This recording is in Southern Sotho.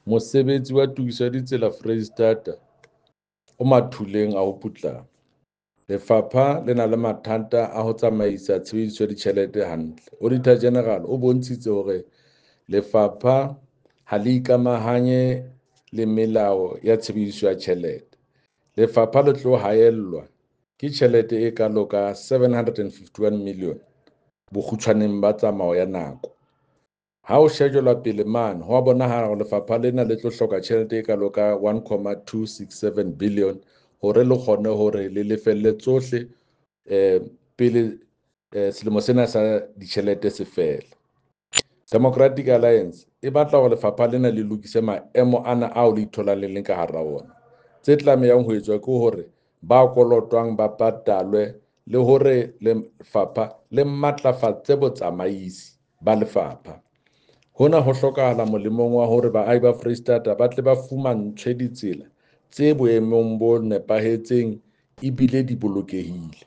Mosebetsi wa tokiso ya ditsela Foreisetata o mathuleng a ho putlama. Lefapha le na le mathata a ho tsamaisa tshebediso ya ditjhelete hantle. Auditor General o bontshitse hore lefapha ha le ikamahanye le melao ya tshebediso ya tjhelete. Lefapha le tlo haellwa ke tjhelete e kalo ka 751 million bokgutshwaneng ba tsamao ya nako. Ha ho shejelwa pele mane, ho a bonahala hore lefapha lena le tlo hloka tjhelete e kalo ka 1,267 billion hore le kgone hore le lefelle tsohle pele selemo sena sa ditjhelete se fela. Democratic Alliance e batla hore lefapha lena le lokise maemo ana ao le itholang le leng ka hara ona. Tse tlamehang ho etswa ke hore ba kolotwang ba patalwe le hore lefapha le matlafatse botsamaisi ba lefapha. Hona ho hlokahala molemong wa hore baahi ba Foreisetata ba tle ba fumantshwe ditsela tse boemong bo nepahetseng ebile di bolokehile.